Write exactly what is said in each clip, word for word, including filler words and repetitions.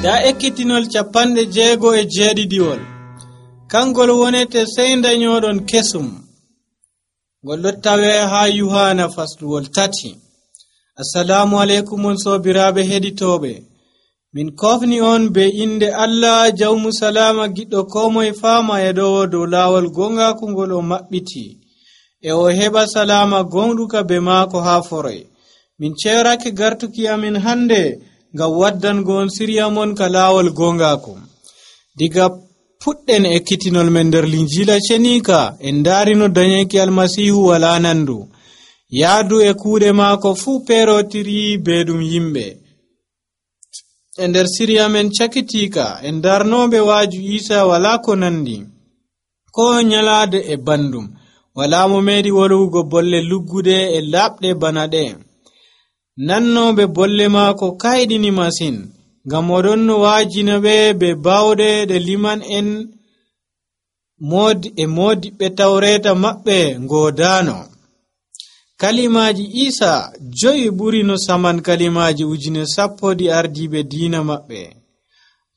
nda ekkitinol capanɗe jeego e jeeɗiɗiwol kangol wonete sey dañoɗon kesum ngol ɗo tawe ha Yohana fasluwol tati. Assalamu alaikum on sobiraɓe heɗitoɓe, min kofni on be inde Allah jawmu salama giɗɗo komoye fama e ɗo dow lawol gongaku ngol o maɓɓiti e o heɓa salama gonɗuka be maako ha foroy. Min cerake gartuki amin hande ngam waddango on siriya mon ka lawol gongaku. Diga puɗɗen ekkitinol men nder linjila cenika en darino dañeki almasihu wala nandu, yaadu e kuuɗe maako fuu perotiri be ɗum yimɓe. E nder siriya men cakitika en darnoɓe waaju Isa wala ko nandi ko nyalade e bandum, wala mo meɗi wolwugo bolle luggude e labɗe bana ɗe. Nannoɓe bolle maako kayɗini masin, ngam oɗon no waajina ɓe be bawɗe ɗe liman en modi e modiɓɓe tawreta maɓɓe ngodano. Kalimaji Isa joyi ɓuri no saman kalimaji ujune sappo ɗi ardiɓe diina maɓɓe.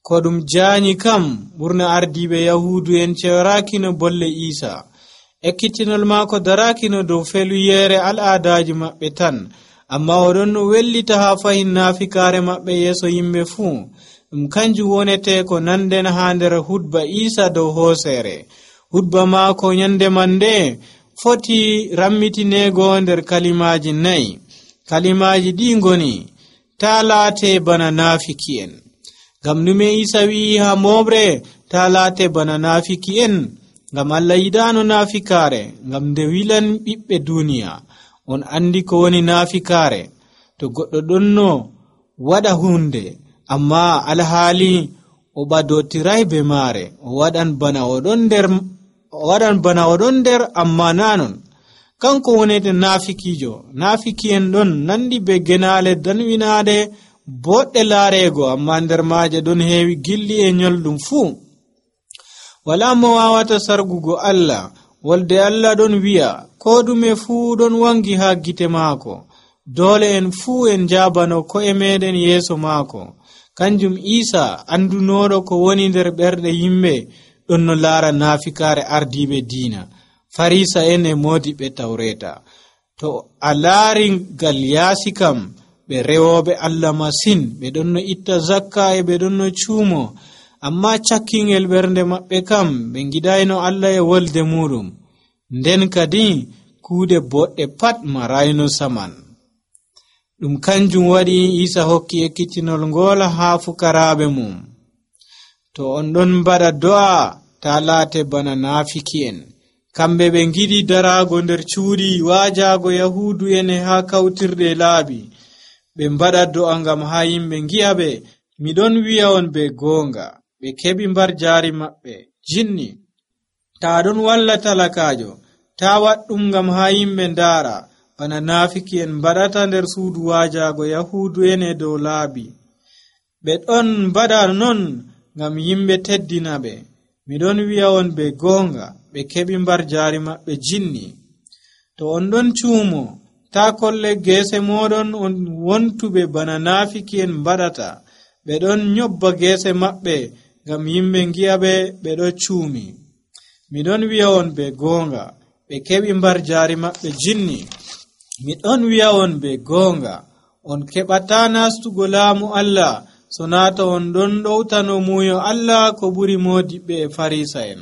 Ko ɗum jaanyi kam ɓurna ardiɓe Yahudu en cewrakino bolle Isa. Ekkitinol maako darakino dow feluyere al'adaji maɓɓe tan, amma oɗon no wellita ha fahin nafikare maɓɓe yeso yimɓe fuu. Ɗum kanjum wonete ko nanden ha nder hudba Isa dow hoosere. Hudba maako nyande mande foti rammitinego nder kalimaji nayi. Kalimaji ɗi ngoni: ta laate bana nafiki en. Ngam nume Isa wi'i ha moɓre ta laate bana nafiki en? Ngam Allah yidano nafikare, ngam nde wilan ɓiɓɓe duniya. On andi ko woni nafikare: to goɗɗo ɗonno waɗa hunde amma alhaali o ɓadotiray be maare, o waɗan bana oɗon nder o waɗan bana oɗon nder amma nanon. Kanko wonete nafikijo. Nafiki en ɗon nandi be genale danwinaade boɗɗe laarego, amma nder maaje ɗon heewi gilɗi e nyolɗum fuu. Wala mo wawata sargugo Allah. Wolde Allah ɗon wi'a ko ɗume fuu ɗon wangi ha gite maako. Dole en fuu en jabano ko'e meɗen yeeso maako. Kanjum Isa andunoɗo ko woni nder ɓerɗe yimɓe ɗon no laara nafikare ardiɓe diina, farisa en e modiɓe tawreta. To a laari ngal yaasi kam, ɓe rewoɓe Allah masin, ɓe ɗon no itta zakka e ɓe ɗon no cuumo, amma cakkingel ɓernde maɓɓe kam ɓe gidayno Allah e wolde muɗum. Nden kadi kuuɗe boɗɗe pat marayno saman. Ɗum kanjum waɗi Isa hokki ekkitinol ngol ha fukaraɓe mum. To on ɗon mbaɗa do'a, ta laate bana nafiki en. Kamɓe ɓe giɗi darago nder cuuɗi waajago Yahudu en ha kawtirɗe laabi. Ɓe mbaɗa do'a ngam ha yimɓe gi'a ɓe. Miɗon wi'a on be goonga, ɓe keɓi mbar jaari maɓɓe jinni. Ta ɗon walla talakajo, ta waɗɗum ngam ha yimɓe ndaara, bana nafiki en mbaɗata nder suudu waajago Yahudu en e dow laabi. Ɓe ɗon mbaɗa non ngam yimɓe teddina ɓe. Miɗon wi'a on be goonga, ɓe keɓi mbar jaari maɓɓe jinni. To on ɗon cuumo, ta kolle geese moɗon on wontuɓe bana nafiki en mbaɗata. Ɓe ɗon nyobba geese maɓɓe ngam yimɓe gi'a ɓe ɓe ɗo cuumi. Miɗon wi'a on be goonga, ɓe keɓi mbar jaari maɓɓe jinni. Miɗon wi'a on be goonga, on keɓata nastugo laamu Allah so naata on ɗon ɗowtano muyo Allah ko ɓuri modiɓɓe e farisa en.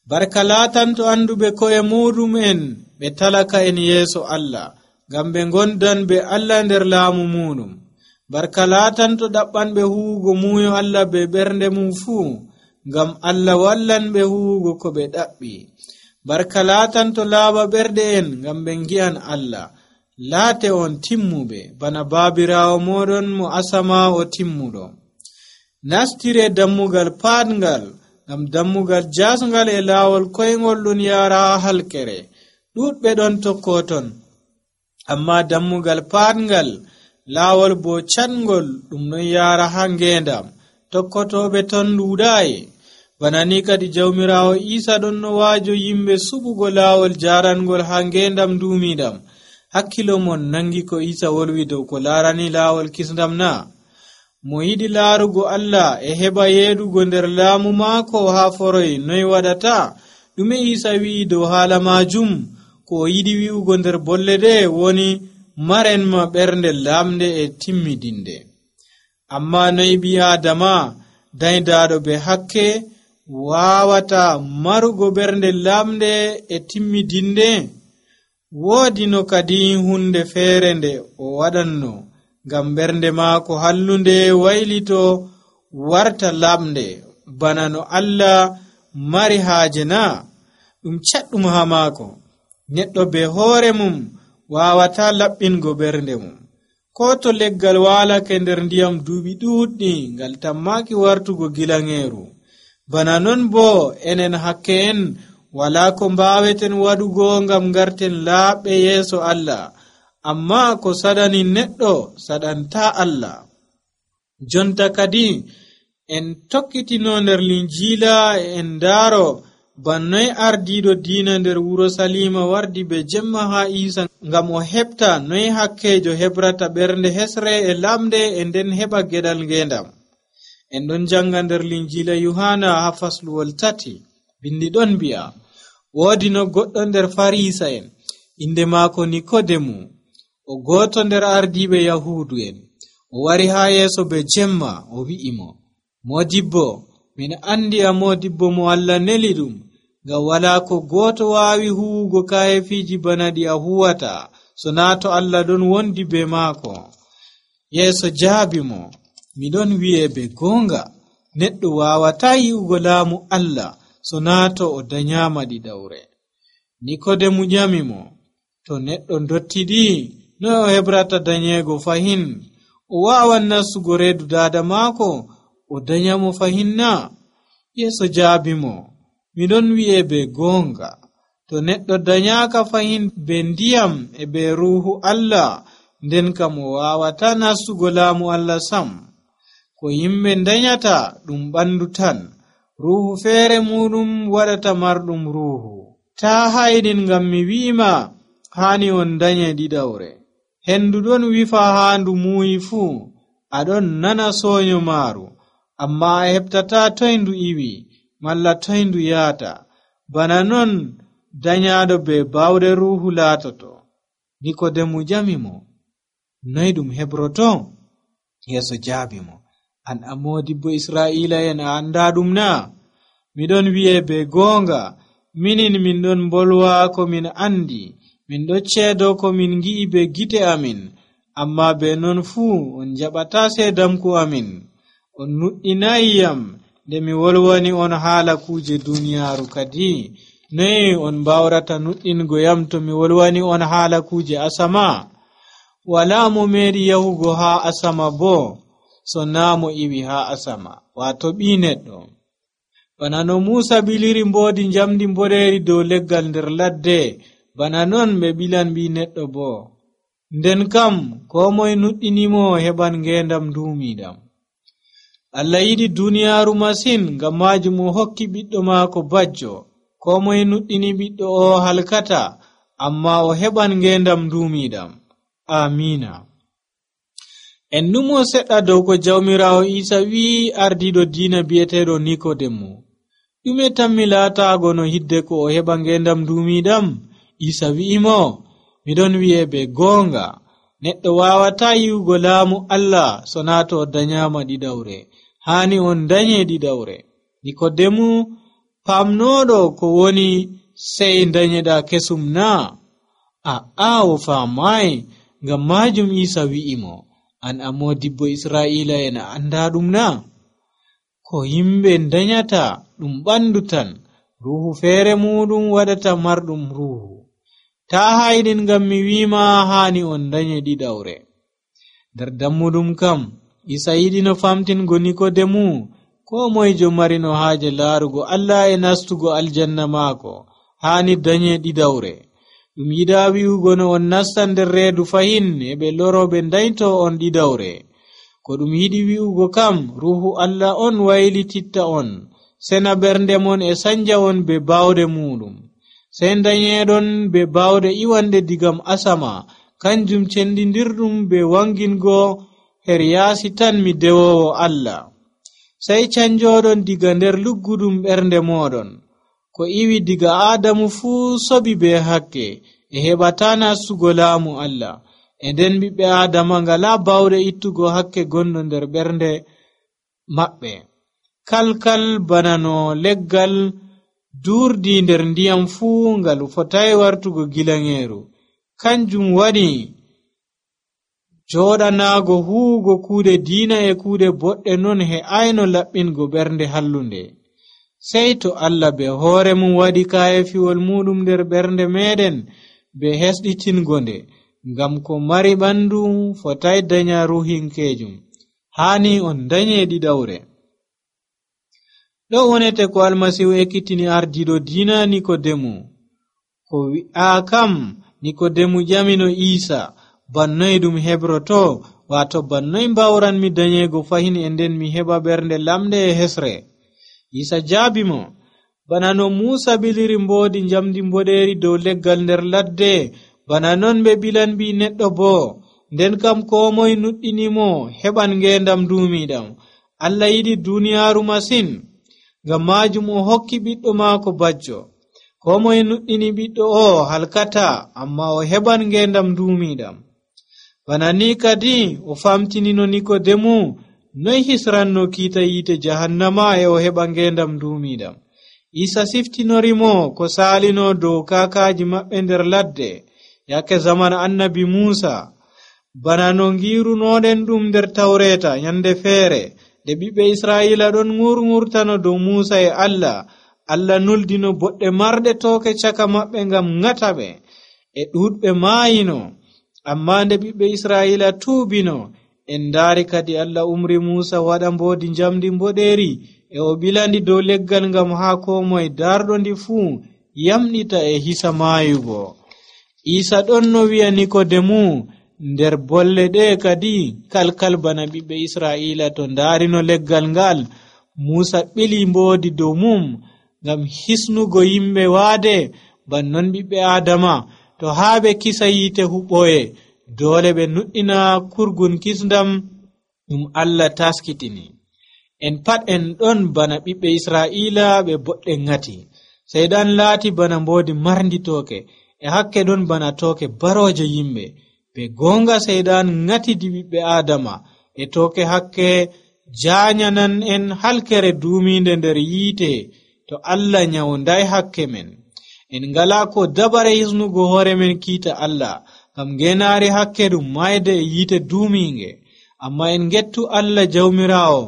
Barka laatanto anduɓe ko'e muɗum en ɓe talaka en yeeso Allah, ngam ɓe gondan be Allah nder laamu muɗum. Barka laatanto ɗaɓɓanɓe huwugo muyo Allah be ɓernde mum fuu, ngam Allah wallan ɓe huwugo ko ɓe ɗaɓɓi. Barka laatanto laaɓa ɓerɗe en, ngam ɓe gi'an Allah. Laate on timmuɓe bana baabirawo moɗon mo asama o timmuɗo. Nastire dammugal paatngal, ngam dammugal jasngal e laawol koyngol ɗon yaara ha halkere. Ɗuɗɓe ɗon tokkoton, amma dammugal paatngal, laawol bo catngol ɗum ɗon yaara ha ngendam. Tokkotoɓe ton ɗuuɗayi. Bana ni kadi jawmirawo Isa ɗon no waajo yimɓe suɓugo laawol jarangol ha ngendam duumiɗam. Hakkilo mon nangi ko Isa wolwi dow ko laarani laawol kisndam na? mo yiɗi laarugo Allah e heɓa yeeɗugo nder laamu maako haa foroy noy waɗata? ɗume Isa wi'i dow haala majum? ko o yiɗi wi'ugo nder bolle ɗe woni marenma ɓernde lamde e timmidinde. amma noy ɓi Adama daydaɗo be hakke wawata marugo ɓernde lamde e timmidinde? woodi no kadi hunde feere nde o waɗanno ngam ɓernde maako hallunde waylito warta lamde bana no Allah mari haaje na? ɗum caɗɗum ha maako. neɗɗo be hoore mum wawata laɓɓingo ɓernde mum. ko to leggal walake nder ndiyam duuɓi ɗuuɗɗi ngal tammaki wartugo gilangeeru. bana non bo enen hakke en wala ko mbaweten waɗugo ngam garten laaɓɓe yeeso Allah. amma ko saɗani neɗɗo saɗanta Allah. jonta kadi en tokkitino nder linjiila en ndaaro bannoy ardiiɗo diina nder wuro Salima wardi be jemma ha Isa ngam o heɓta noy hakkejo hebrata ɓernde hesre e lamde e nden heɓa geɗal ngendam. en ɗon janga nder linjiila Yohana ha fasluwol tati. bindi ɗon mbi'a woodi no goɗɗo nder farisa en inde maako Nikodemu, o goto nder ardiiɓe Yahudu en. o wari ha yeeso be jemma o wi'imo, modibbo, min andi a modibbo mo Allah neli ɗum, ngam wala ko goto waawi huwugo kayefiji bana ɗi a huwata so na to Allah ɗon wondi be maako. yeeso jaabi mo, miɗon wi'e be gonga, neɗɗo wawata yi'ugo laamu Allah so na to o danyama ɗiɗawre. Nikodemu ƴami mo, to neɗɗo dottiɗi no o hebrata danyego fahin? o wawan nastugo reedu dada maako o danyamo fahin na? yeeso jaabi mo, miɗon wi'e be gonga, to neɗɗo danyaka fahin be ndiyam e be ruuhu Allah, nden kam o wawata nastugo laamu Allah sam. ko yimɓe danyata ɗum ɓandu tan, ruuhu feere muɗum waɗata marɗum ruuhu. ta hayɗin ngam mi wi'ima hani on danye ɗiɗawre. hendu ɗon wifa haa ndu muuyi fuu, aɗon nana soonyo maaru, amma a heɓtata toy ndu iwi malla toy ndu yaata. bana non danyaɗo be bawɗe ruuhu laatoto. Nikodemu ƴami mo, noy ɗum hebroto? yeeso jaabi mo, an a modibbo Israila en a anda ɗum na? miɗon wi'e be gonga, minin min ɗon bolwa ko min andi, min ɗo ceedo ko min gi'i be gite amin, amma be non fuu on jaɓata seedamku amin. on nuɗɗinayiyam nde mi wolwani on haala kuje duniyaaru kadi. noy on mbawrata nuɗɗingo yam to mi wolwani on haala kuje asama? wala mo meeɗi yahugo ha asama bo so na mo iwi ha asama, wato ɓi neɗɗo. bana no Musa biliri mboodi njamdi mboɗeeri dow leggal nder ladde, bana non ɓe bilan ɓi neɗɗo bo. nden kam ko moye nuɗɗinimo heɓan ngendam duumiɗam. Allah yiɗi duniyaaru masin, ngam majum o hokki ɓiɗɗo maako bajjo. ko moye nuɗɗini ɓiɗɗo o halkata, amma o heɓan ngendam duumiɗam. amina. en numo seɗɗa dow ko jawmirawo Isa wi'i ardiɗo diina bi'eteɗo Nikodemu. ɗume tammi laatago no hidde ko o heɓa ngendam duumiɗam? Isa wi'imo, miɗon wi'e be gonga, neɗɗo wawata yi'ugo laamu Allah so na to o danyama ɗiɗawre. hani on danye ɗiɗawre. Nikodemu famnoɗo ko woni sey danyeɗa kesum na? aa o faamayi. ngam majum Isa wi'imo, an a modibbo Israila en a anda ɗum na? ko yimɓe danyata ɗum ɓandu tan, ruuhu feere muɗum waɗata marɗum ruuhu. ta hayɗin ngam mi wima hani on danye ɗiɗawre. nder dammuɗum kam Isa yiɗi no famtingo Nikodemu, ko moyjo marino haaje laarugo Allah e nastugo aljanna maako hani danye ɗiɗawre. ɗum yiɗa wi'ugo no on nasta nder reedu fahin e ɓe loroɓe dayto on ɗiɗawre. ko ɗum yiɗi wi'ugo kam ruuhu Allah on waylititta on, sena ɓernde mon e sanja on be bawɗe muɗum. sey danyeɗon be bawɗe iwanɗe digam asama, kanjum cendidirɗum be wangingo her yaasi tan mi dewowo Allah. Sey canjoɗon diga nder luggudum ɓernde moɗon. Ko iwi diga Adamu fuu sobi be hakke e heɓata nastugo laamu Allah. E nden ɓiɓɓe Adama ngala bawɗe ittugo hakke gonɗo nder ɓernde maɓɓe. Kalkal bana no leggal durdi nder ndiyam fuu ngal fotai wartugo gilangeeru. Kanjum waɗi joɗanago huugo kuuɗe diina e kuuɗe boɗɗe non he ayno laɓɓingo ɓernde hallunde. Sey to Allah be hoore mum waɗi kaayefiwol muɗum nder ɓernde meɗen be hesɗitingo nde, ngam ko mari ɓandu fotai danya ruhinkejum, hani on danye ɗiɗawre. Ɗo wonete ko Almasihu ekkitini ardiɗo diina Nikodemu. Ko wi'a kam Nikodemu ƴamino Isa, bannoy ɗum hebroto, wato bannoy mbawran mi danyego fahin e nden mi heɓa ɓernde lamɗe e hesre. Isa jaabi mo, bana no Musa biliri mboodi njamdi mboɗeeri dow leggal nder ladde, bana non ɓe bilan bi neɗɗo bo, nden kam ko moy nuɗɗinimo heɓan ngendam duumiɗam. Allah yiɗi duniyaaru masin, ngam majum o hokki ɓiɗɗo maako bajjo. Ko moy nuɗɗini ɓiɗɗo o halkata, amma o heɓan ngendam duumiɗam. Bana ni kadi o famtinino Nikodemu noy hisranno kiita yiite jahannama e o heɓa ngendam duumiɗam. Isa siftinorimo ko saalino dow kaakaji maɓɓe nder ladde yakke zaman annabi Musa, bana no ngirunoɗen ɗum nder Tawreta nyande feere de ɓiɓɓe Israila ɗon ŋurŋurtano dow Musa e Allah. Allah nuldino boɗɗe marɗe tooke caka maɓɓe ngam ŋata ɓe, e ɗuɗɓe maayino. Amma nde ɓiɓɓe Israila tuubino, en ndaari kadi Allah umri Musa waɗa mboodi njamdi mboɗeeri e o bilandi dow leggal ngam haa ko moye darɗo ndi fuu yamɗita e hisa maayugo. Isa ɗon no wi'a Nikodemu nder bolle ɗe kadi kalkal bana ɓiɓɓe Israila to ndaarino leggal ngal, Musa ɓili mboodi dow mum ngam hisnugo yimɓe waade, bannon ɓiɓɓe Adama to haa ɓe kisa yiite huɓɓoye doole ɓe nuɗɗina kurgun kisndam ɗum Allah taskitini. En pat en ɗon bana ɓiɓɓe Israila ɓe boɗɗe ngati. Seydan laati bana mboodi marndi tooke, e hakke ɗon bana tooke baroje yimɓe. Be gonga Seydan ngatidi ɓiɓɓe Adama e tooke hakke jaanyanan en halkere duuminde nder yiite to Allah nyawday hakke men. En ngala ko dabare hisnugo hoore men kiita Allah, ngam ngenaari hakke ɗum mayde e yiite duuminge. Amma en gettu Allah jawmirawo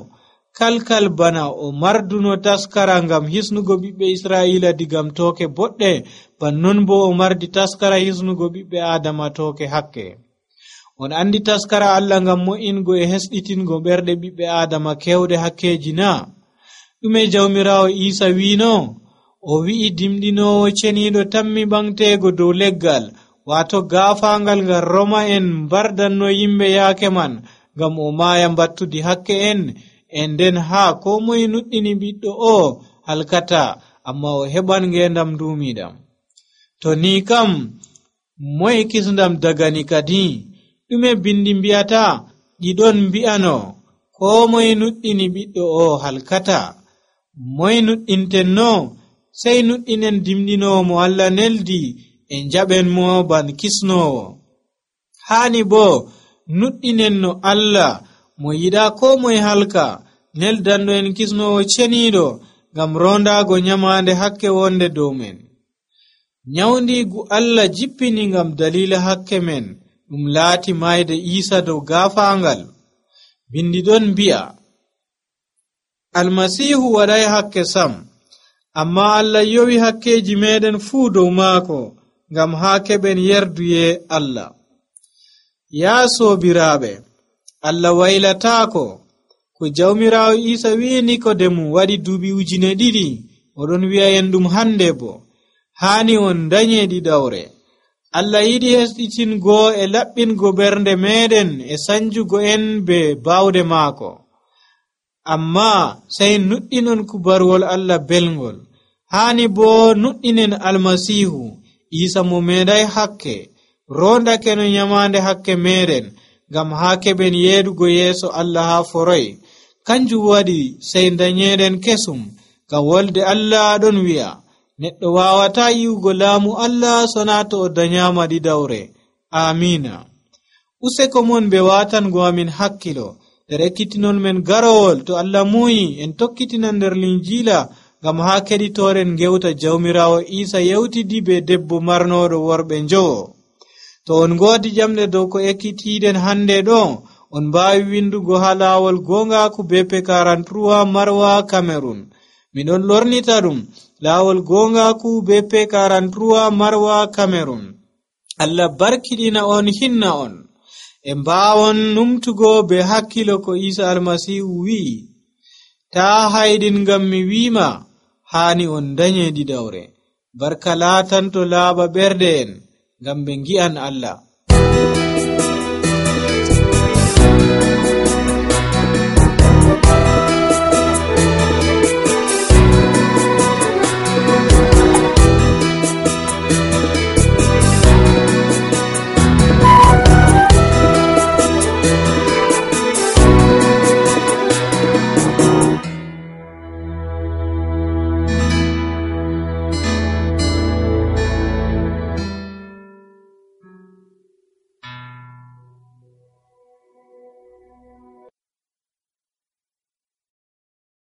kalkal bana o marduno taskara ngam hisnugo ɓiɓɓe Israila digam tooke boɗɗe, bannon bo o mardi taskara hisnugo ɓiɓɓe Adama tooke hakke. On andi taskara Allah ngam mo'ingo e hesɗitingo ɓerɗe ɓiɓɓe Adama kewɗe hakkeji na? ɗume jawmirawo Isa wino? O wi'i dimɗinowo ceniɗo tammi ɓangtego dow leggal, wato gaafangal ngal Roma en mbardanno yimɓe yaake man ngam o maaya mbattudi hakke en, e nden haa ko moye nuɗɗini ɓiɗɗo o halkata, amma o heɓan ngendam duumiɗam. To ni kam moye kisndam dagani kadi? ɗume bindi mbiyata? ɗiɗon mbi'ano ko moye nuɗɗini ɓiɗɗo o halkata. Moye nuɗɗintenno? Sey nuɗɗinen dimɗinowo mo Allah neldi e njaɓen mo ban kisnowo. Haani bo nuɗɗinen no Allah mo yiɗa ko moye halka, neldanɗo en kisnowo ceniɗo ngam rondago nyamande hakke wonde dow men. Nyawdigu Allah jippini ngam dalila hakke men, ɗum laati mayde Isa dow gaafangal. Bindi ɗon mbi'a Almasihu waɗay hakke sam, amma Allah yowi hakkeji meɗen fuu dow maako ngam haa keɓen yerduye Allah. Yaa soobiraaɓe, Allah waylataako. Ko jawmirawo Isa wi'i Nikodemu waɗi duuɓi ujune ɗiɗi, oɗon wi'a en ɗum hande bo. Haani on danye ɗiɗawre. Allah yiɗi hesɗitingo e laɓɓingo ɓernde meɗen e sanjugo en be bawde maako. Amma sey nuɗɗinon kubarwol Allah belngol. Haani bo nuɗɗinen Almasihu Isa mo meeɗay hakke, rondake no nyamande hakke meɗen ngam haa keɓen yeedugo yeeso Allah haa foroy. Kanjum waɗi sey dañeeɗen kesum, ngam wolde Allah ɗon wi'a neɗɗo waawataa yi'ugo laamu Allah sonaa to o danyaama ɗiɗawre. Amiina. Useko mon ɓe waatango amin hakkilo nder ekkitinon men garowol to Allah muyi en tokkitina nder linjiila ngam haa keɗitooren gewta Jawmiraawo Iisa yewtidi be debbo marnooɗo worɓe njowo. To on ngoodi jamɗe dow ko ekkitiiɗen hande ɗo, on mbaawi windugo haa laawol goongaaku B P quarante-trois Marwa Cameroon. Miɗon lornita ɗum laawol goongaaku B P quarante-trois Marwa Cameroon. Allah barkiɗina on hinna on. E mbaawon numtugo be hakkilo ko Iisa Almasihu wi'i, taa hayɗin ngam mi wiima haani on danye ɗiɗawre. Barka laatanto laaɓa ɓerɗe en ngam ɓe ngi'an Allah.